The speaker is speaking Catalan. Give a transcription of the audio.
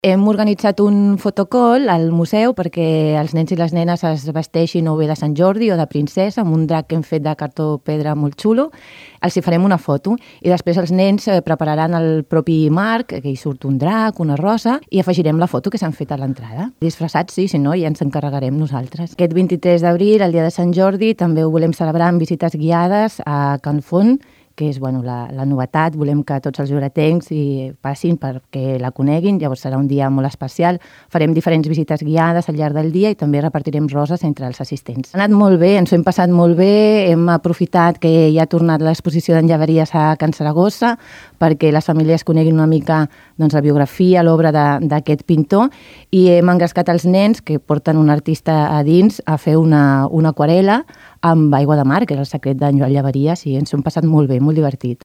Hem organitzat un fotocall al museu perquè els nens i les nenes es vesteixin o bé de Sant Jordi o de princesa amb un drac que hem fet de cartó pedra molt xulo. Els hi farem una foto i després els nens prepararan el propi marc, que hi surt un drac, una rosa, i afegirem la foto que s'han fet a l'entrada. Disfressats, sí, si no, ja ens encarregarem nosaltres. Aquest 23 d'abril, el dia de Sant Jordi, també ho volem celebrar amb visites guiades a Can Font, que és la novetat. Volem que tots els lloretencs hi passin perquè la coneguin, llavors serà un dia molt especial. Farem diferents visites guiades al llarg del dia i també repartirem roses entre els assistents. Ha anat molt bé, ens ho hem passat molt bé, hem aprofitat que ja ha tornat l'exposició d'enllaveries a Can Saragossa perquè les famílies coneguin una mica la biografia, l'obra d'aquest pintor, i hem engrescat els nens que porten un artista a dins a fer una aquarel·la amb aigua de mar, que és el secret d'en Joan Llaveries, i ens ho hem passat molt bé, molt divertit.